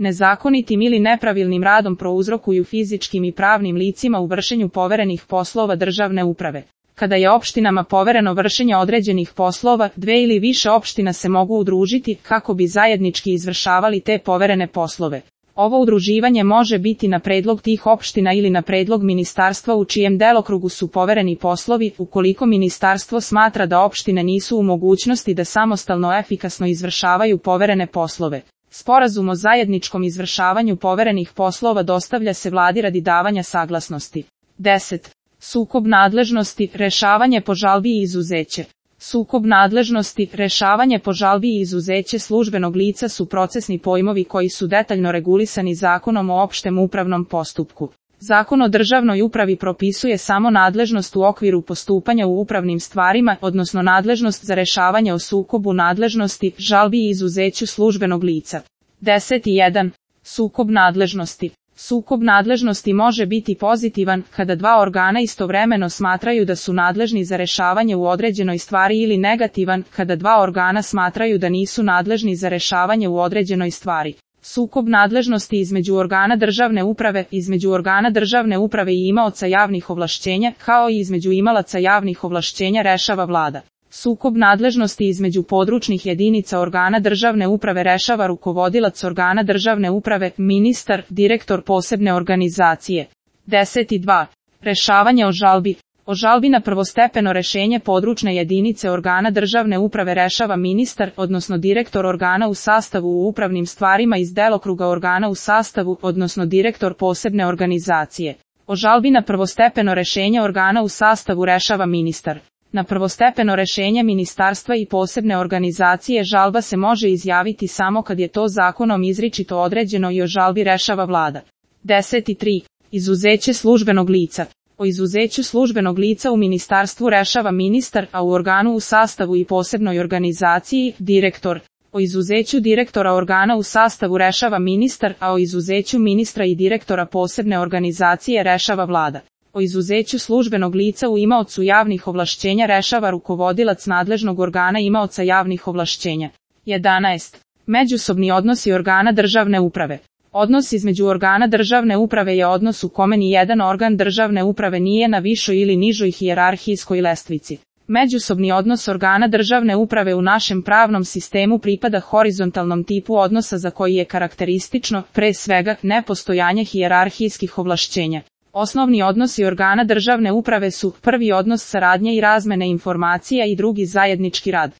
nezakonitim ili nepravilnim radom prouzrokuju fizičkim i pravnim licima u vršenju poverenih poslova državne uprave. Kada je opštinama povereno vršenje određenih poslova, 2 ili više opština se mogu udružiti kako bi zajednički izvršavali te poverene poslove. Ovo udruživanje može biti na predlog tih opština ili na predlog ministarstva u čijem delokrugu su povereni poslovi, ukoliko ministarstvo smatra da opštine nisu u mogućnosti da samostalno efikasno izvršavaju poverene poslove. Sporazum o zajedničkom izvršavanju poverenih poslova dostavlja se vladi radi davanja saglasnosti. 10. Sukob nadležnosti, rešavanje po žalbi i izuzeće. Sukob nadležnosti, rešavanje po žalbi i izuzeće službenog lica su procesni pojmovi koji su detaljno regulisani Zakonom o opštem upravnom postupku. Zakon o državnoj upravi propisuje samo nadležnost u okviru postupanja u upravnim stvarima, odnosno nadležnost za rešavanje o sukobu nadležnosti, žalbi i izuzeću službenog lica. 10.1. Sukob nadležnosti. Sukob nadležnosti može biti pozitivan kada dva organa istovremeno smatraju da su nadležni za rešavanje u određenoj stvari ili negativan kada dva organa smatraju da nisu nadležni za rešavanje u određenoj stvari. Sukob nadležnosti između organa državne uprave i imaoca javnih ovlašćenja, kao i između imalaca javnih ovlašćenja rešava vlada. Sukob nadležnosti između područnih jedinica organa državne uprave rešava rukovodilac organa državne uprave, ministar, direktor posebne organizacije. 10.2. Rešavanje o žalbi. O žalbi na prvostepeno rešenje područne jedinice organa državne uprave rešava ministar, odnosno direktor organa u sastavu u upravnim stvarima iz delokruga organa u sastavu, odnosno direktor posebne organizacije. O žalbi na prvostepeno rešenje organa u sastavu rešava ministar. Na prvostepeno rešenje ministarstva i posebne organizacije žalba se može izjaviti samo kad je to zakonom izričito određeno i o žalbi rešava vlada. 10.3. Izuzeće službenog lica. O izuzeću službenog lica u ministarstvu rešava ministar, a u organu u sastavu i posebnoj organizaciji, direktor. O izuzeću direktora organa u sastavu rešava ministar, a o izuzeću ministra i direktora posebne organizacije rešava vlada. O izuzeću službenog lica u imaocu javnih ovlašćenja rešava rukovodilac nadležnog organa imaoca javnih ovlašćenja. 11. Međusobni odnosi organa državne uprave. Odnos između organa državne uprave je odnos u kome ni jedan organ državne uprave nije na višoj ili nižoj hijerarhijskoj lestvici. Međusobni odnos organa državne uprave u našem pravnom sistemu pripada horizontalnom tipu odnosa za koji je karakteristično, pre svega, nepostojanje hijerarhijskih ovlašćenja. Osnovni odnosi organa državne uprave su: prvi odnos saradnje i razmene informacija i drugi zajednički rad.